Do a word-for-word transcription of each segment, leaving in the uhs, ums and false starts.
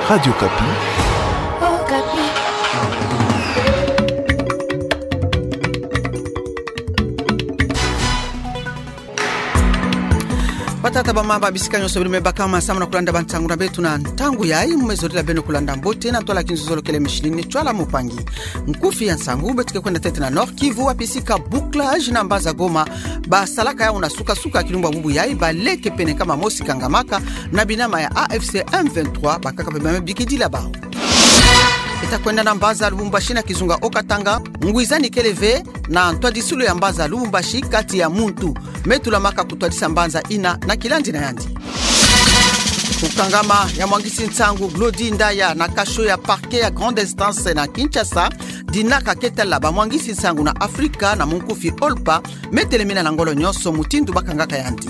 Radio Okapi. Batata, bamama, bisika nyonso beno me bakama samu na kulanda bansangu na beto na ntangu yayi, mu me zolila beno kulanda mbote na ntwala kinzonzolo kele misilini tchwala mopangi. Nkufi ya nsangu beto ke kwenda ntete na Nord-Kivu, wapi sika bouclage na mbanza Goma basalaka yawu na suka-suka ya kilumbu ya bubu yayi, baleke pene nkama mosi kangamaka na binama ya A F C M vingt-trois, bakaka pe bima bikidila bawu. Beta kwenda na mbanza Lubumbashi na kizunga Haut-Katanga, ngwizani kele ve na ntwadisulu ya mbanza Lubumbashi kati ya muntu me tulamaka kutwadisa mbanza yina na kilandi na yandi. Kukangama ya mwangisi nsangu Glody Ndaya na cachot ya parquet ya grande instance na Kinshasa, dinaka ke tala bamwangisi nsangu na Afrika na munkufi OLPA, me telemina na ngolo nyonso mutindu bakangaka yandi.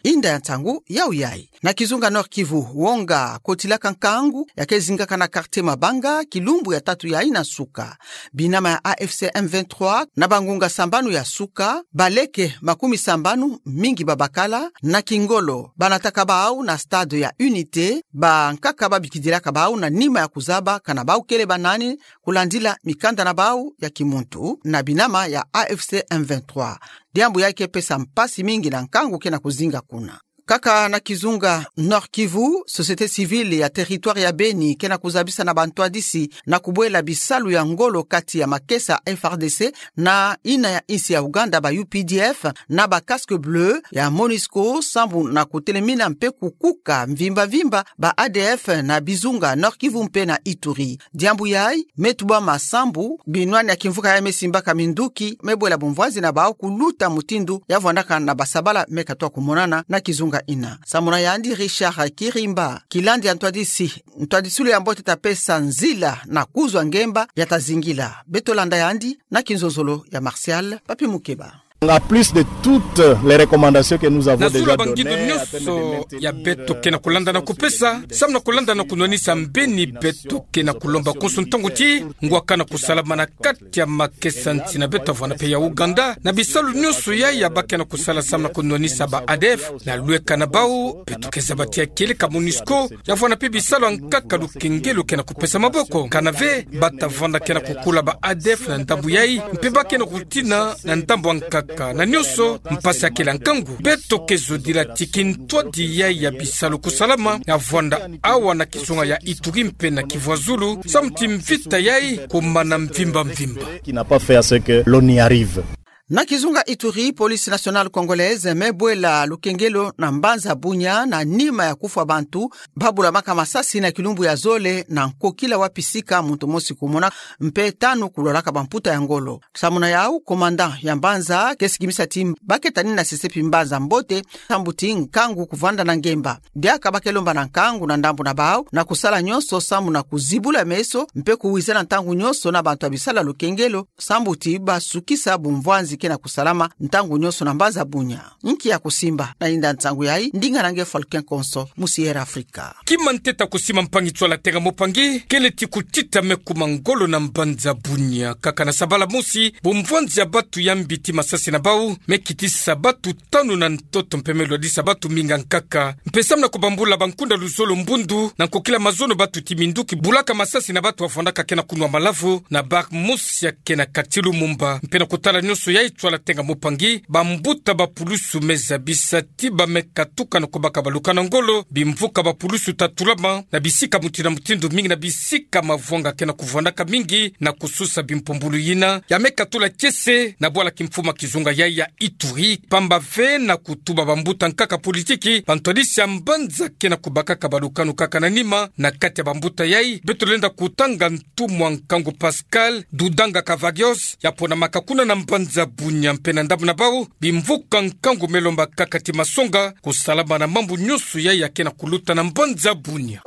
Inda ya nsangu yawu yayi. Na kizunga Nord-Kivu, wonga kotilaka nkangu ya ke zingaka na quartier Mabanga, kilumbu ya tatu yayi na nsuka. Binama ya A F C M vingt-trois, na bangunga sambanu ya nsuka, baleke makumi sambanu, mingi babakala, na kingolo banataka bawu na stade ya Unité, bankaka babikidilaka bawu na nima ya kuzaba kana bawu kele banani, kulandila mikanda na bawu ya kimuntu na binama ya A F C M vingt-trois. Diambu yayi ke pesa mpasi mingi na nkangu ke na kuzinga kuna. Kaka na kizunga Nord-Kivu, société civile ya territoire ya Beni ke na kuzabisa na bantwadisi na kubwela bisalu ya ngolo kati ya makesa F R D C na yina ya insi ya Ouganda, ba U P D F, na ba casque bleu ya MONUSCO, sambu na kutelemina mpe kukuka mvimba-mvimba ba A D F na bizunga Nord-Kivu mpe na Ituri. Diambu yayi me tubama sambu binwani ya kimvuka yayi me simbaka minduki me bwela bumvwanzi na bawu kuluta mutindu ya vwandaka na basabala me katwa kumonana na kizunga yina. Samu na yandi Richard Kirimba, kilandi ya ntwadisi, ntwadisulu ya mbote ta pesa nzila na kuzwa ngemba ya ta zingila. Beto landa yandi na kinzonzolo ya Martial Papi Mukeba. En plus de toutes les recommandations que nous avons déjà données, na zulu ya bangindo nyonso ya beto ke na kulanda na kupesa, samu na kulanda na kunwanisa mbeni beto ke na kulomba konso ntangu ti ngwa kana kusalama na kati ya makesa nsi na beto, vwanda mpe ya Ouganda, na bisalu nyonso yayi ba ke na kusala samu na kunwanisa ba A D F. Na lweka na bawu, beto ke zaba ti ya kieleka MONUSCO, ya vwanda mpe bisalu ya nkaka lukengelo ke na kupesa maboko. Kana ve, bata vwanda ke na kukula ba A D F na ndambu yayi, mpe ba ke na kutina na ndambu ya nkaka. Na nyonso, mpasi ya kele ya nkangu. Beto ke zodila ti kintwadi yayi ya bisalu kusalama, ya vwanda awa na kizunga ya Ituri mpe na Kivu ya zulu, samu ti mvita yayi kumana mvimba-mvimba. Qui n'a pas fait à ce que l'on y arrive. Na kizunga Ituri, Police Nationale Congolaise me bwela lukengelo na mbanza Bunia na nima ya kufwa bantu babulamaka masasi na kilumbu ya zole na nkokila, wapi sika muntu mosi kumona mpe tanu kulwalaka bamputa ya ngolo. Samu na yawu, commandant ya mbanza ke sikimisa ti ba ke tanina sesepi mbanza mbote, sambu ti nkangu kuvwanda na ngemba. Diaka ba ke lomba na nkangu na ndambu na bawu na kusala nyonso samu na kuzibula meso mpe kuwizana ntangu nyonso na bantu ya bisalu ya lukengelo, sambu ti ba sukisa bumvwanzi ke na kusalama ntangu nyonso na mbanza Bunia. Nki ya kusimba na yinda nsangu yayi, ndinga na nge Falcon Konso, mu Sierra Africa. Kima ntete ya kusima mpangi nswala tenga mopangi, kele ti kutita me kuma ngolo na mbanza Bunia. Kaka na sabala mosi, bumvwanzi ya batu ya mbiti masasi na bawu me kitisa batu tanu na ntoto mpe me lwadisa batu mingi ya nkaka. Mpe samu na kubambula bankunda luzolo mbundu, na nkokila mazono batu ti minduki bulaka masasi na batu ya vwandaka ke na kunwa malavu na bar mosi ya ke na quartier Lumumba. Mpe na kutala nyonso yayi nswala tenga mopangi, bambuta bapulusu me zabisa ti ba me katuka na kubaka baluka na ngolo, bimvuka bapulusu ta tulama na bisika mutindu na mutindu, mingi na bisika mavwanga ke na kuvwandaka mingi, na kususa bimpumbulu yina ya me katula kiese na bwala kimfumu ya kizunga yayi ya Ituri, pamba ve na kutuba bambuta nkaka politiki, bantwadisi ya mbanza ke na kubakaka balukanu kaka na nima na kati ya bambuta yayi. Beto lenda kutanga ntumwa nkangu Pascal Dudanga Kavagios, ya ponamaka kuna na mbanza Bunia. Mpe na ndambu na bawu, bimvuka nkangu me lomba kaka ti masonga kusalama na mambu nyonso yayi ya ke na kuluta na mbanza Bunia.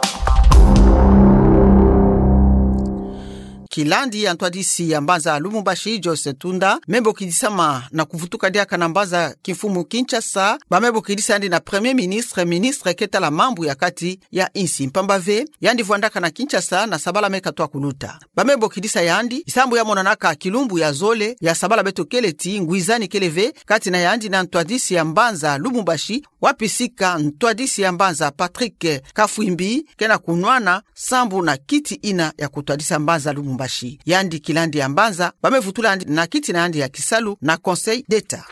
ilandi ya ntwadisi ya mbanza Lubumbashi, Joyce Tunda, me bokidisama na kuvutuka diaka na mbanza kimfumu Kinshasa, ba me bokidisa yandi na Premier Ministre, ministre ke tala mambu ya kati ya insi. Mpamba ve, yandi vwandaka na Kinshasa na sabala me katwa kuluta. Ba me bokidisa yandi, sambu ya monanaka kilumbu ya zole ya sabala beto kele ti ngwizani kele ve kati na yandi na ntwadisi ya mbanza Lubumbashi, wapi sika ntwadisi ya mbanza Patrick Kafwimbi ke na kunwana sambu na kiti ina ya kutwadisa mbanza Lubumbashi. Yandi kilandi ya mbanza, ba me vutula yandi na kiti na yandi ya kisalu na Conseil d'État.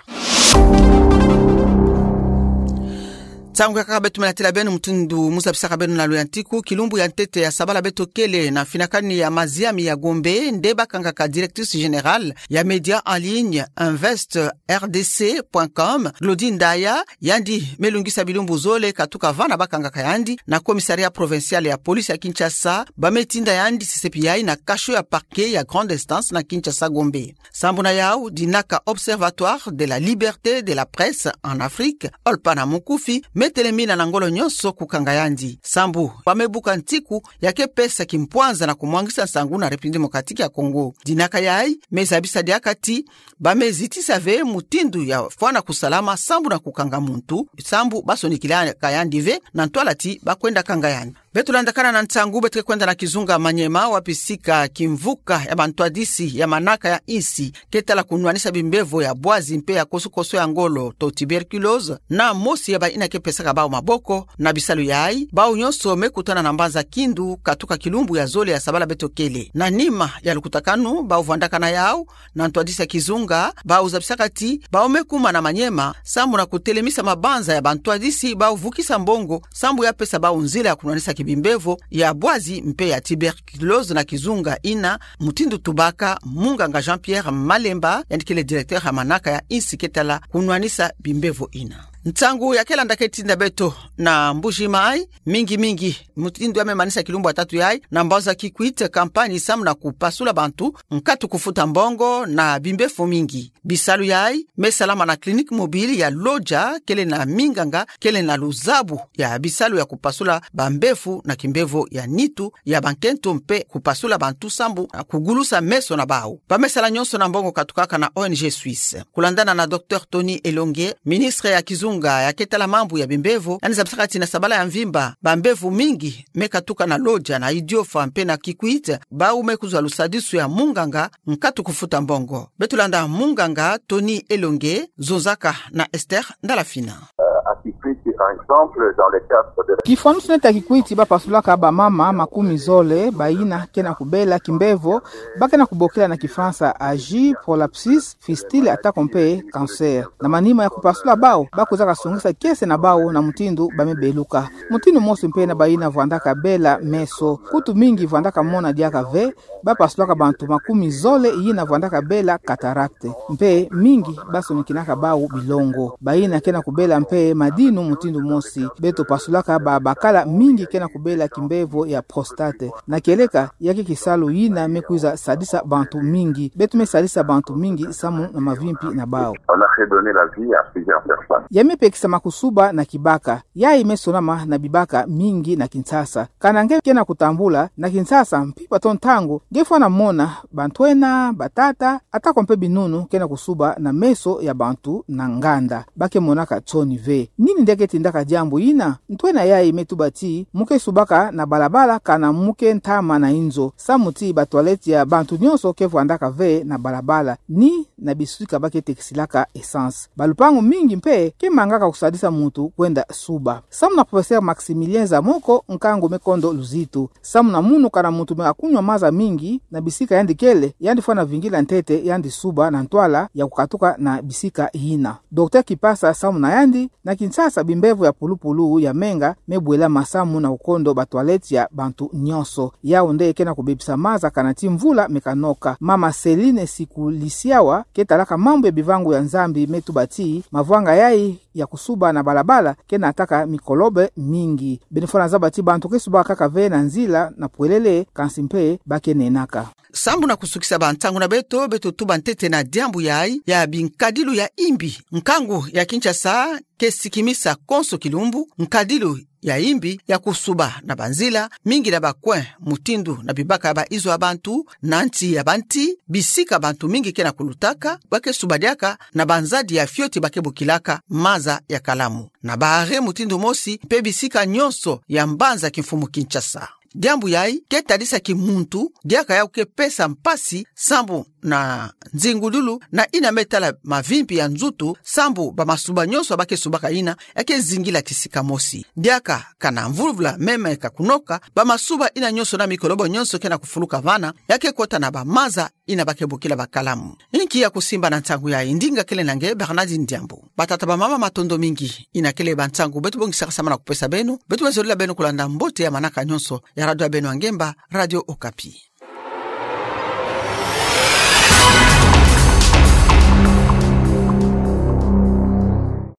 Nsangu yakaka beto me latila beno mutindu mu zabisaka beno na luyantiku, kilumbu ya ntete ya sabala beto kele na mfinakani ya maziami ya Gombe, nde bakangaka directrice générale ya média en ligne Invest R D C point com, Glody Ndaya, yandi me lungisa bilumbu zole katuka vana bakangaka yandi na commissariat provincial ya police ya Kinshasa, ba me tinda yandi sesepi yayi na cachot ya parquet ya grande instance na Kinshasa Gombe. Sambu na yau, dinaka Observatoire de la Liberté de la Presse en Afrique, OLPA na mukufi, me telemina na ngolo nyonso kukanga yandi. Sambu ba me buka ntiku ya ke pesa kimpwanza na kumwangisa nsangu na République Démocratique ya Congo. Dinaka yayi me zabisa diaka ti ba me zitisa ve mutindu ya fwana kusalama sambu na kukanga muntu, sambu ba sonikilaka yandi ve na ntwala ti ba kwenda kanga yandi. Beto landakana na nsangu, beto ke kwenda na kizunga Maniema, wapi sika kimvuka ya bantwadisi ya manaka ya insi ke tala kunwanisa bimbevo ya bwazi mpe ya kosukosu ya ngolo to tuberculose, na mosi ya bayina ke pesaka bau maboko na bisalu yayi, bau nyonso me kutana na mbanza Kindu katuka kilumbu ya zole ya sabala beto kele. Na nima ya lukutakanu bau vwandaka na yau na ntwadisi ya kizunga, bau zabisaka ti bau me kuma na Maniema sambu na kutelemisa mabanza ya bantwadisi bau vukisa mbongo sambu ya pesa bau nzila ya kunwanisa kibimbevo ya bwazi mpe ya tuberculose na kizunga ina, mutindu tubaka munganga Jean-Pierre Malemba, yandi kele directeur ya manaka ya insi ke tala kunwanisa bimbevo ina. Nsangu ya ke landa ke tinda beto na Mbuji-Mayi, mingi mingi mutindu ya me manisa kilumbu ya tatu yayi na mbanza Kikwit, kampani sambu na kupasula bantu nkatu kufuta mbongo na bimbevo mingi. Bisalu yayi me salama na clinique mobile ya Lodja, kele na minganga kele na luzabu ya bisalu ya kupasula bambevo na kimbevo ya nitu, ya bankento mpe kupasula bantu sambu na kugulusa meso na bau. Ba me sala nyonso na mbongo katukaka na O N G Suisse. Kulandana na Docteur Tony Elongue, ministre ya kizunga ya ke tala mambu ya bimbevo, yandi zabisaka ti na sabala ya mvimba bambevo mingi me katuka na Lodja, na Idiofa mpe na Kikwit, bau me kuzwa lusadisu ya munganga nkatu kufuta mbongo. Beto landa munganga Tony Elongue, zonzaka na Esther Ndalafina. Euh, à Kikwit, par exemple, dans le cadre de la... Kifwanusu neti ya Kikwit, ba pasulaka bamama makumi zole bayina ke na kubela kimbevo ba ke na kubokila na Kifalansa âgé, prolapsus, fistule ata ko mpe cancer. Na manima ya kupasula bau, ba kwizaka songisa kiese na bau na mutindu ba me beluka. Mutindu mosi mpe na bayina vwandaka bela meso. Kutu mingi vwandaka mona diaka ve, ba pasulaka bantu makumi zole yina vwandaka bela cataracte. Mpe mingi ba sonikinaka bau bilongo. Bayina ke na kubela mpe madinu mutindu mosi. Beto pasulaka babakala mingi ke na kubela kimbevo ya prostate. Na kieleka, ya ke kisalu yina me kwiza sadisa bantu mingi. Beto me sadisa bantu mingi samu na mavimpi na bau. On a fait donner la vie à plusieurs personnes. Ya me pekisa makusuba na kibaka. Yayi me sonama na bibaka mingi na Kinshasa. Kana nge ke na kutambula na Kinshasa, mpimpa to ntangu nge fwana mona bantwenya, batata, ata ko mpe binunu ke na kusuba na meso ya bantu na nganda. Ba ke monaka nsoni ve. Nini nde ke tindaka diambu yina? Ntwenya yayi me tuba ti mu ke subaka na balabala kana mu ke ntama na inzo. Samu ti ba toilette ya bantu nyonso ke vwandaka ve na balabala ni na bisika ba ke tekisilaka essence. Balupangu mingi mpe ke mangaka kusadisa muntu kwenda suba. Samu na professeur Maximilien Zamoko, nkangu me kondo luzitu. Samu na munu kana muntu me akunwa maza mingi na bisika yandi kele, yandi fwana vingila ntete yandi suba na ntwala ya kukatuka na bisika yina. Docteur Kipasa samu na yandi, na Kinshasa bimbevo ya pulupulu ya menga me bwelama samu na kukondo ba toilette ya bantu nyonso. Yau nde ke na kubebisa maza kana ti mvula me kanoka. Mama Celine Sikulisiawa, ke talaka mambu ya bivangu ya Nzambi, me tuba ti mavwanga yayi ya kusuba na balabala ke nataka mikolobe mingi. Beno fwana zaba ti bantu ke subaka kaka ve na nzila na pwelele, kansi mpe ba ke nenaka. Sambu na kusukisa bansangu na beto, beto tuba ntete na diambu yayi ya binkadilu ya imbi. Nkangu ya Kinshasa ke sikimisa konso kilumbu nkadilu ya imbi ya kusuba na banzila mingi na bakwe, mutindu na bibaka ya baizo ya bantu, na nti ya banti, bisika bantu mingi ke na kulutaka, ba ke suba diaka na banzadi ya fioti ba ke bokilaka maza ya kalamu. Na baharee mutindu mosi mpe bisika nyonso ya mbanza kimfumu Kinshasa. Diambu yayi ke tadisa kimuntu, diaka ya ke pesa mpasi sambu na nzingululu na yina me tala mavimpi ya nzutu, sambu bamasuba nyonso ba ke subaka yina ya ke zingila kisika mosi. Diaka kana mvuluvula me meka kunoka, bamasuba yina nyonso na mikolobo nyonso ke na kufuluka vana ya ke kota na bamaza yina ba ke bokila bakalamu. Inki ya kusimba na nsangu yayi? Ndinga kele na nge Bernardine Diambu. Batata bamama, matondo mingi. Yina kele bansangu beto bongisaka samu na kupesa beno. Beto me zolila beno kulanda mbote ya manaka nyonso ya radio ya beno ya ngemba, Radio Okapi.